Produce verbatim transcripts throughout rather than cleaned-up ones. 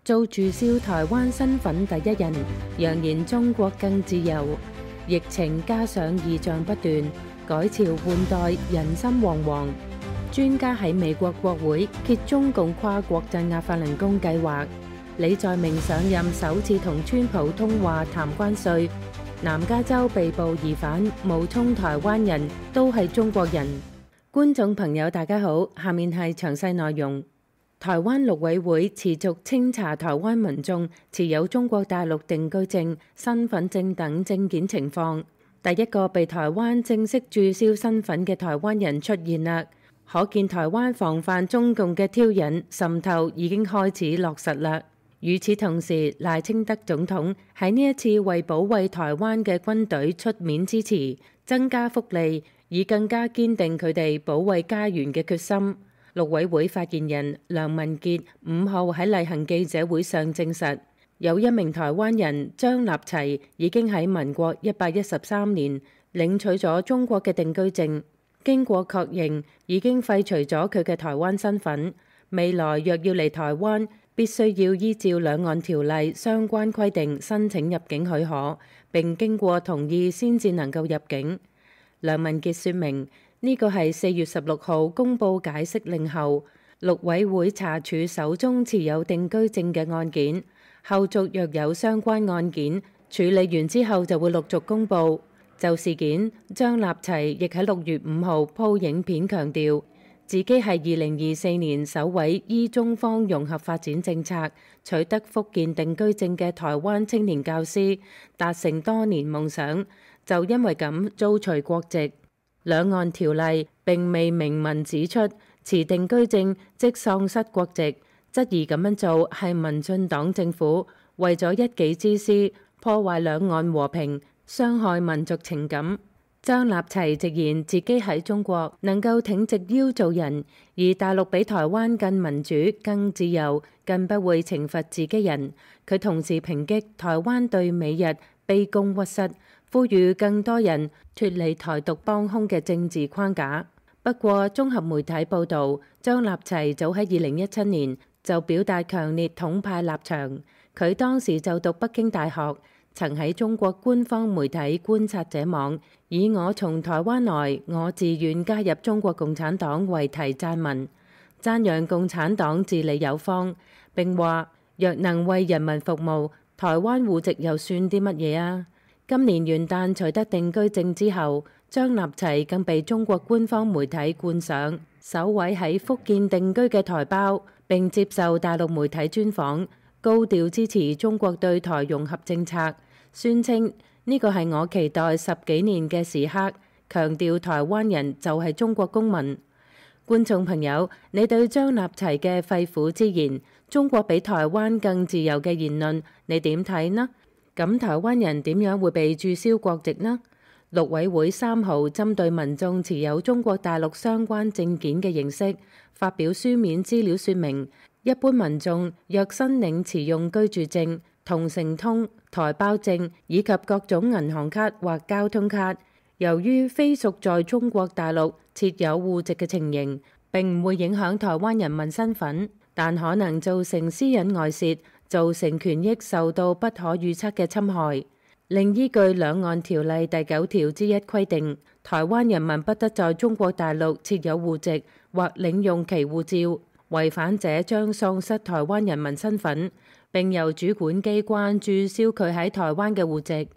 做註銷台灣身份第一人，揚言中國更自由。疫情加上異象不斷，改朝換代，人心惶惶。專家喺美國國會揭中共跨國鎮壓法輪功計劃。李在明上任首次同川普通話談關稅。南加州被捕疑犯冒充台灣人，都係中國人。觀眾朋友大家好，下面係詳細內容。台灣陸委會持續清查台灣民眾持有中國大陸定居證、身份證等證件情況。第一個被台灣正式註銷身份嘅台灣人出現啦，可見台灣防範中共嘅挑釁滲透已經開始落實啦。與此同時，賴清德總統喺呢一次為保衛台灣嘅軍隊出面支持，增加福利，以更加堅定佢哋保衛家園嘅決心。陸委會發言人梁文傑五號喺例行記者會上證實，有一名台灣人張立齊已經喺民國一百一十三年領取咗中國嘅定居證，經過確認已經廢除咗佢嘅台灣身份。未來若要嚟台灣，必須要依照兩岸條例相關規定申請入境許可，並經過同意先至能夠入境。梁文傑說明，呢個係四月十六號公佈解釋令後，陸委會查處手中持有定居證嘅案件，後續若有相關案件處理完之後就會陸續公佈。就事件，張立齊亦喺六月五號鋪影片強調，自己係二零二四年首位依中方融合發展政策取得福建定居證嘅台灣青年教師，達成多年夢想，就因為咁遭除國籍。兩岸條例並未明文指出持定居證即喪失國籍，質疑咁樣做係民進黨政府為咗一己之私，破壞兩岸和平，傷害民族情感。張立齊直言自己喺中國能夠挺直腰做人，而大陸比台灣更民主、更自由，更不會懲罰自己人。佢同時抨擊台灣對美日卑躬屈膝，呼籲更多人脫離台獨幫兇嘅政治框架。不過，綜合媒體報導，張立齊早喺二零一七年就表達強烈統派立場。佢當時就讀北京大學，曾喺中國官方媒體觀察者網以我從台灣來，我自願加入中國共產黨為題撰文，讚揚共產黨治理有方，並話若能為人民服務，台灣戶籍又算啲乜嘢啊？今年元旦取得定居證之後，張立齊更被中國官方媒體冠上首位喺福建定居嘅台胞，並接受大陸媒體專訪，高調支持中國對台融合政策，宣稱呢個係我期待十幾年嘅時刻，強調台灣人就係中國公民。觀眾朋友，你對張立齊嘅肺腑之言，中國比台灣更自由嘅言論，你點睇呢？咁台灣人點樣會被註銷國籍呢？陸委會三號針對民眾持有中國大陸相關證件嘅形式，發表書面資料說明，一般民眾若申領持用居住證、同城通、台胞證以及各種銀行卡或交通卡，由於非屬在中國大陸設有戶籍嘅情形，並唔會影響台灣人民身份，但可能造成私隱外泄，造成權益受到不可預測嘅侵害。另依據兩岸條例第九條之一規定，台灣人民不得在中國大陸設有戶籍或領用其護照，違反者將喪失台灣人民身份，並由主管機關註銷佢喺台灣嘅戶籍。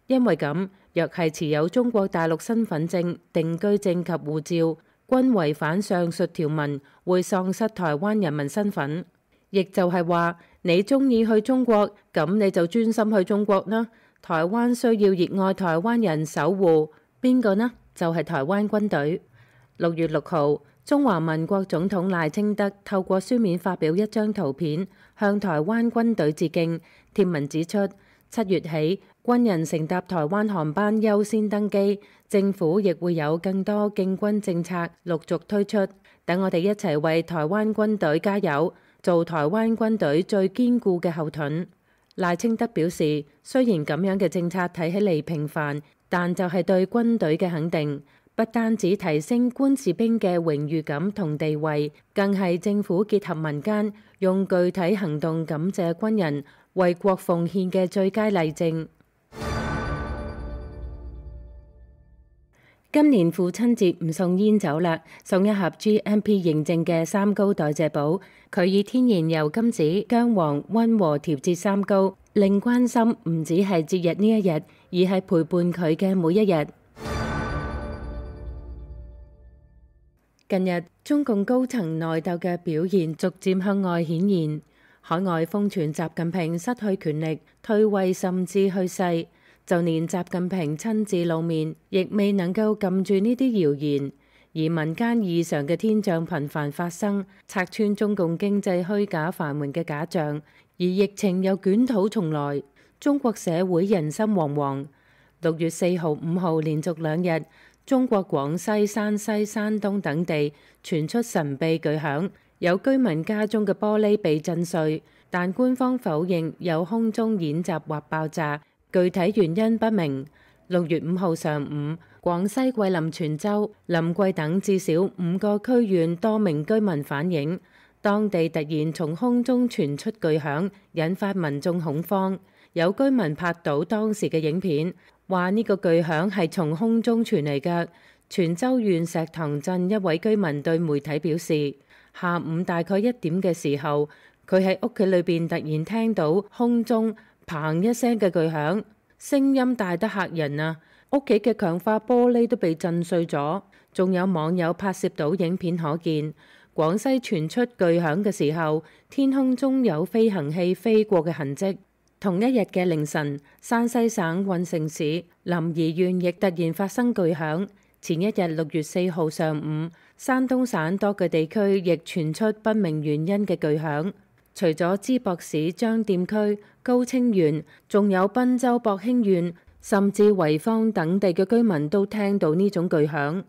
因為咁，若係持有中國大陸身份證、定居證及護照，均違反上述條文，會喪失台灣人民身份。亦就係話，你中意去中國，咁你就專心去中國啦。台灣需要熱愛台灣人守護，邊個呢？就係台灣軍隊。六月六號，中華民國總統賴清德透過書面發表一張圖片，向台灣軍隊致敬。貼文指出，七月起，軍人乘搭台灣航班優先登機，政府亦會有更多敬軍政策陸續推出。等我哋一齊為台灣軍隊加油，做台灣軍隊最堅固嘅後盾。賴清德表示，雖然咁樣嘅政策睇起嚟平凡，但就係對軍隊嘅肯定。不單止提升官士兵嘅榮譽感同地位，更係政府結合民間，用具體行動感謝軍人為國奉獻嘅最佳例證。今年父親節唔送煙酒啦，送一盒 G M P 認證嘅三高代謝寶。佢以天然油甘子、薑黃溫和調節三高，令關心唔止係節日呢一日，而係陪伴佢嘅每一日。近日，中共高層內鬥嘅表現逐漸向外顯現，海外瘋傳習近平失去權力、退位甚至去世。就連習近平親自露面，亦未能夠撳住呢啲謠言，而民間異常嘅天象頻繁發生，拆穿中共經濟虛假繁榮嘅假象，而疫情又捲土重來，中國社會人心惶惶。六月四號、五號連續兩日，中國廣西、山西、山東等地傳出神秘巨響，有居民家中嘅玻璃被震碎，但官方否認有空中演習或爆炸。具體原因不明。六月五號上午，廣西桂林全州、臨桂等至少五個區縣多名居民反映，當地突然從空中傳出巨響，引發民眾恐慌。有居民拍到當時嘅影片，話呢個巨響係從空中傳嚟嘅。全州縣石塘鎮一位居民對媒體表示，下午大概一點嘅時候，佢喺屋企裏邊突然聽到空中砰一聲嘅巨響，聲音大得嚇人啊！屋企嘅強化玻璃都被震碎咗。仲有網友拍攝到影片可見，廣西傳出巨響嘅時候，天空中有飛行器飛過嘅痕跡。同一日嘅凌晨，山西省運城市臨沂縣亦突然發生巨響。前一日六月四號上午，山東省多個地區亦傳出不明原因嘅巨響。除咗淄博市張店區、高清縣，仲有賓州博興縣，甚至濰坊等地嘅居民都聽到呢種巨響。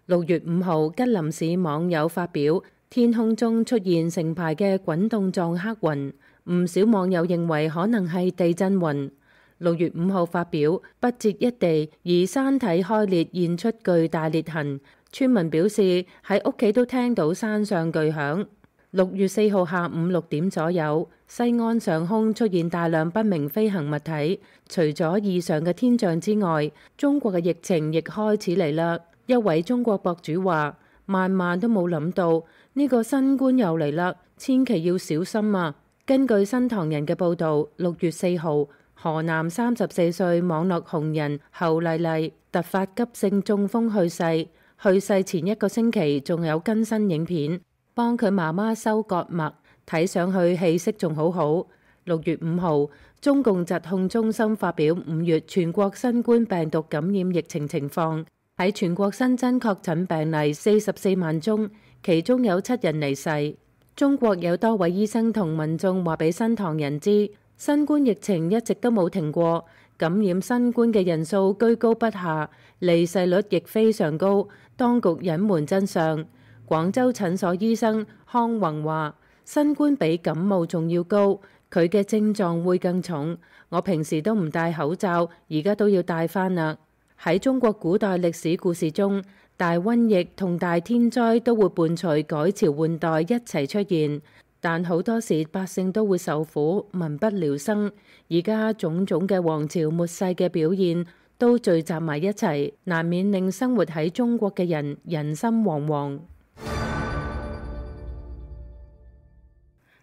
六月五號，吉林市網友發表，天空中出現成排嘅滾動狀黑雲，唔少網友認為可能係地震雲。六月五號發表，不折一地，而山體開裂現出巨大裂痕，村民表示喺屋企都聽到山上巨響。六月四號下午六點左右，西安上空出現大量不明飛行物體。除咗異常嘅天象之外，中國嘅疫情亦開始嚟啦。一位中國博主話：萬萬都冇諗到呢個新冠又嚟啦，千祈要小心啊！根據新唐人嘅報導，六月四號，河南三十四歲網絡紅人侯麗麗突發急性中風去世，去世前一個星期仲有更新影片，幫佢媽媽收割脈，睇上去氣息仲好好。六月五號，中共疾控中心發表五月全國新冠病毒感染疫情情況，喺全國新增確診病例四十四萬宗，其中有七人離世。中國有多位醫生同民眾話俾新唐人知，新冠疫情一直都冇停過，感染新冠嘅人數居高不下，離世率亦非常高，當局隱瞞真相。廣州診所醫生康宏話：新冠比感冒仲要高，佢嘅症狀會更重。我平時都唔戴口罩，而家都要戴返啦。喺中國古代歷史故事中，大瘟疫同大天災都會伴隨改朝換代一齊出現，但好多時百姓都會受苦，民不聊生。而家種種嘅王朝末世嘅表現都聚集埋一齊，難免令生活喺中國嘅人人心惶惶。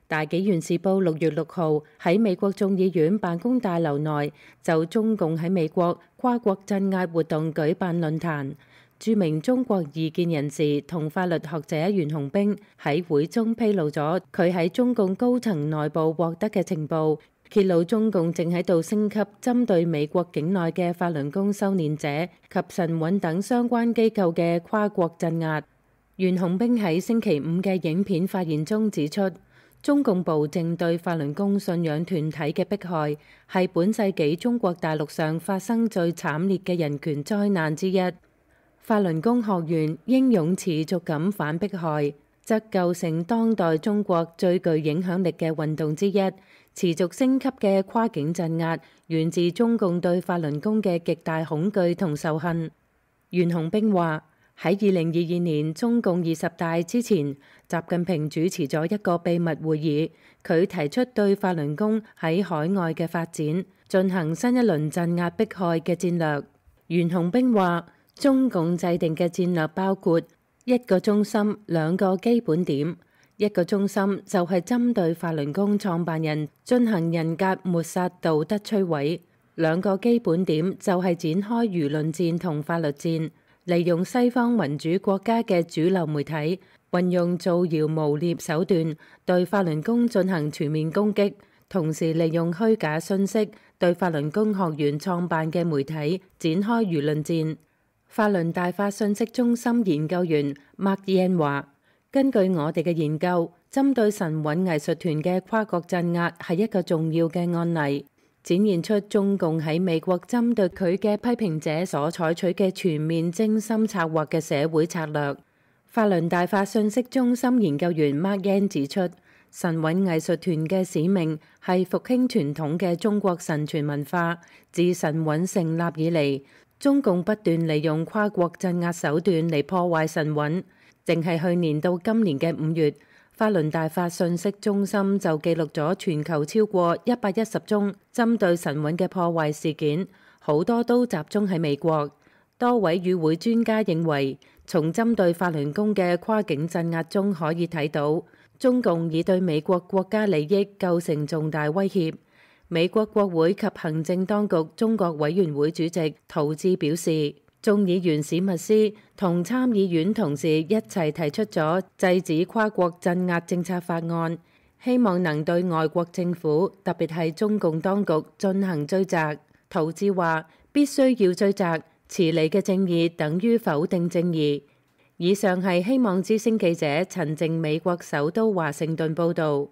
大紀元時報六月六號喺美國眾議院辦公大樓內就中共喺美國跨國鎮壓活動舉辦論壇，著名中國異見人士同法律學者袁洪兵喺會中披露咗佢喺中共高層內部獲得嘅情報，揭露中共正喺度升級針對美國境內嘅法輪功修煉者及晨運等相關機構嘅跨國鎮壓。袁洪兵喺星期五嘅影片發言中指出，中共部正對法輪功信仰團體嘅迫害係本世紀中國大陸上發生最慘烈嘅人權災難之一。法輪功學員英勇持續咁反迫害，則構成當代中國最具影響力嘅運動之一。持續升級嘅跨境鎮壓源自中共對法輪功嘅極大恐懼同仇恨。袁洪兵話：喺二零二二年中共二十大之前，習近平主持咗一個秘密會議，佢提出對法輪功喺海外嘅發展進行新一輪鎮壓迫害嘅戰略。袁洪兵話，中共制定嘅戰略包括一個中心、兩個基本點。一個中心就係針對法輪功創辦人進行人格抹殺、道德摧毀；兩個基本點就係展開輿論戰同法律戰。利用西方民主國家嘅主流媒體，運用造謠誣衊手段對法輪功進行全面攻擊，同時利用虛假信息對法輪功學員創辦嘅媒體展開輿論戰。法輪大法信息中心研究員 Mark Yan 話，根據我哋嘅研究，針對神韻藝術團嘅跨國鎮壓係一個重要嘅案例，展現出中共喺美國針對佢嘅批評者所採取嘅全面精心策劃嘅社會策略。法輪大法信息中心研究員 Mark Yan 指出，神韻藝術團嘅使命係復興傳統嘅中國神傳文化。自神韻成立以嚟，中共不斷利用跨國鎮壓手段嚟破壞神韻。淨係去年到今年嘅五月，法輪大法信息中心就記錄咗全球超過一百一十宗針對神韻嘅破壞事件，好多都集中喺美國。多位與會專家認為，從針對法輪功嘅跨境鎮壓中可以睇到，中共已對美國國家利益構成重大威脅。美國國會及行政當局中國委員會主席陶志表示，眾議員史密斯同參議院同事一齊提出咗制止跨國鎮壓政策法案，希望能對外國政府，特別係中共當局進行追責。陶志話，必須要追責，遲嚟嘅正義等於否定正義。以上係希望之聲記者陳靜美國首都華盛頓報導。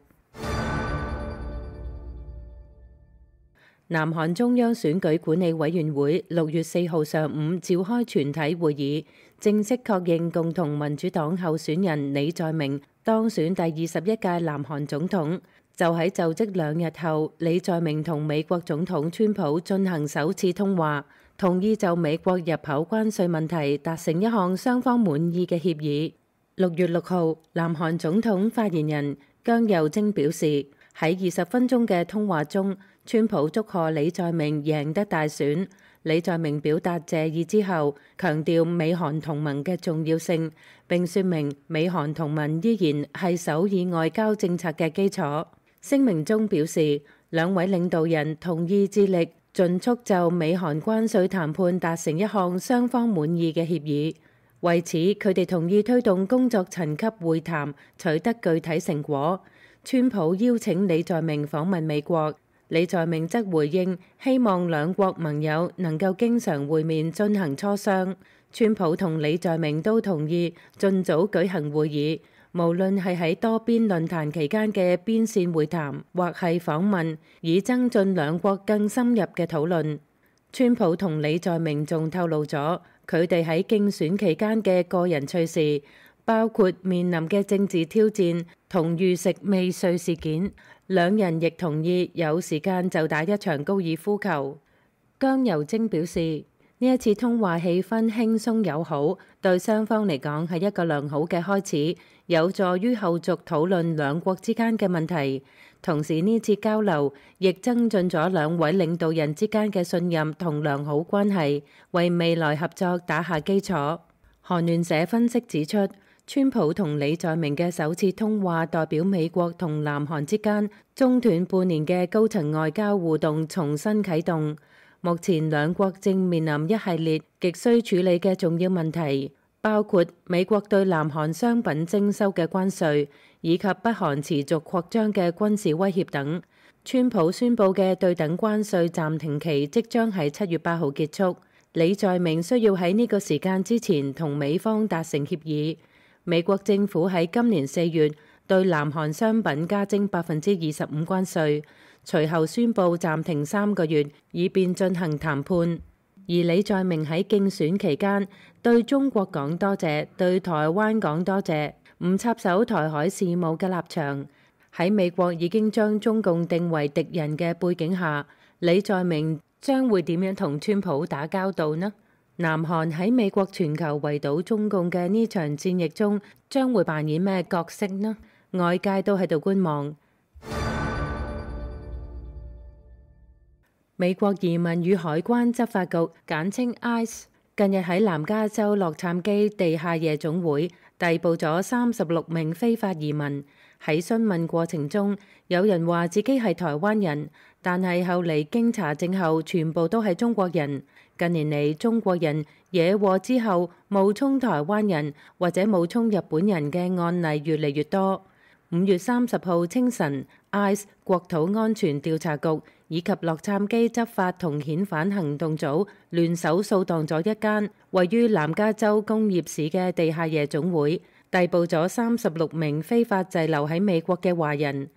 南韓中央選舉管理委員會六月四號上午召開全體會議，正式確認共同民主黨候選人李在明當選第二十一屆南韓總統。就喺就職兩日後，李在明同美國總統川普進行首次通話，同意就美國入口關稅問題達成一項雙方滿意嘅協議。六月六號，南韓總統發言人姜佑貞表示，喺二十分鐘嘅通話中，川普祝賀李在明贏得大選。李在明表達謝意之後，強調美韓同盟嘅重要性，並說明美韓同盟依然係首爾外交政策嘅基礎。聲明中表示，兩位領導人同意致力盡速就美韓關稅談判達成一項雙方滿意嘅協議。為此，佢哋同意推動工作層級會談，取得具體成果。川普邀請李在明訪問美國，李在明則回應希望兩國盟友能夠經常會面進行磋商。川普同李在明都同意盡早舉行會議，無論係喺多邊論壇期間嘅邊線會談，或係訪問，以增進兩國更深入嘅討論。川普同李在明仲透露咗佢哋喺競選期間嘅個人趣事，包括面臨嘅政治挑戰同遇食未遂事件。兩人亦同意有時間就打一場高爾夫球。姜佑貞表示，呢一次通話氣氛輕鬆友好，對雙方嚟講係一個良好嘅開始，有助於後續討論兩國之間嘅問題。同時呢次交流亦增進咗兩位領導人之間嘅信任同良好關係，為未來合作打下基礎。韓聯社分析指出，川普同李在明嘅首次通話代表美國同南韓之間中斷半年嘅高層外交互動重新啟動。目前兩國正面臨一系列極需處理嘅重要問題，包括美國對南韓商品徵收嘅關稅，以及北韓持續擴張嘅軍事威脅等。川普宣布嘅對等關稅暫停期即將喺七月八號結束，李在明需要喺呢個時間之前同美方達成協議。美國政府喺今年四月對南韓商品加徵百分之二十五關稅，隨後宣布暫停三個月，以便進行談判。而李在明喺競選期間對中國講多謝，對台灣講多謝，唔插手台海事務嘅立場。喺美國已經將中共定為敵人嘅背景下，李在明將會點樣同川普打交道呢？南韓喺美國全球圍堵中共嘅呢場戰役中，將會扮演咩角色呢？外界都喺度觀望。美國移民與海關執法局簡稱 I C E 近日喺南加州洛杉磯地下夜總會逮捕咗三十六名非法移民。喺詢問過程中，有人話自己係台灣人，但係後嚟經查證後，全部都係中國人。近年嚟，中國人惹禍之後冒充台灣人或者冒充日本人嘅案例越嚟越多。五月三十號清晨 ，I C E 國土安全調查局以及洛杉磯執法同遣返行動組聯手掃蕩咗一間位於南加州工業市嘅地下夜總會，逮捕咗三十六名非法滯留喺美國嘅華人。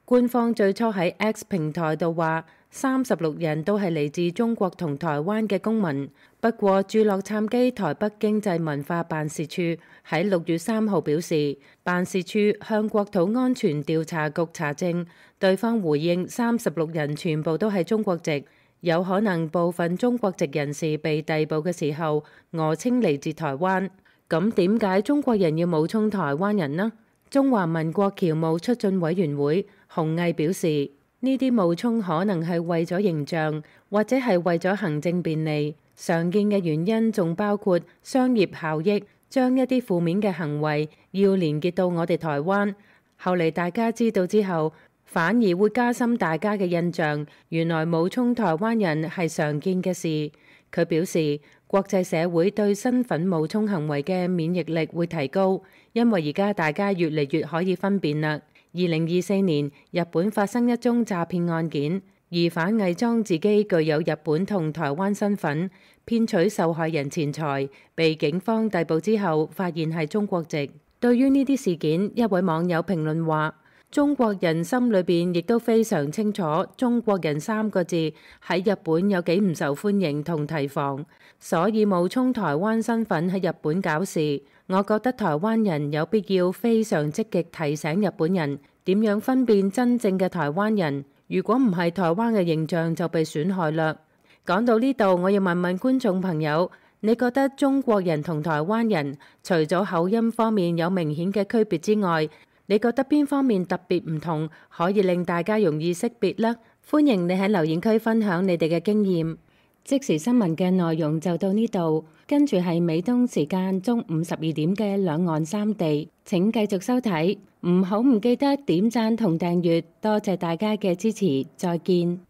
官方最初喺 X 平台度話，三十六人都係嚟自中國同台灣嘅公民。不過駐洛杉磯台北經濟文化辦事處喺六月三號表示，辦事處向國土安全調查局查證，對方回應三十六人全部都係中國籍，有可能部分中國籍人士被逮捕嘅時候訛稱嚟自台灣。咁點解中國人要冒充台灣人呢？中華民國僑務促進委員會洪毅表示，呢啲冒充可能係為咗形象，或者係為咗行政便利。常見嘅原因仲包括商業效益，將一啲負面嘅行為要連結到我哋台灣。後嚟大家知道之後，反而會加深大家嘅印象，原來冒充台灣人係常見嘅事。佢表示，國際社會對身份冒充行為嘅免疫力會提高，因為而家大家越嚟越可以分辨啦。二零二四年，日本發生一宗詐騙案件，疑犯偽裝自己具有日本同台灣身份，騙取受害人錢財，被警方逮捕之後，發現係中國籍。對於呢啲事件，一位網友評論話：中國人心裏邊亦都非常清楚，中國人三個字喺日本有幾唔受歡迎同提防，所以冒充台灣身份喺日本搞事。我覺得台灣人有必要非常積極提醒日本人點樣分辨真正嘅台灣人，如果唔係，台灣嘅形象就被損害啦。講到呢度，我要問問觀眾朋友，你覺得中國人同台灣人除咗口音方面有明顯嘅區別之外，你覺得邊方面特別唔同，可以令大家容易識別呢？歡迎你喺留言區分享你哋嘅經驗。即時新聞嘅內容就到呢度，跟住係美東時間中午十二點嘅兩岸三地，請繼續收睇，唔好唔記得點讚同訂閱，多謝大家嘅支持，再見。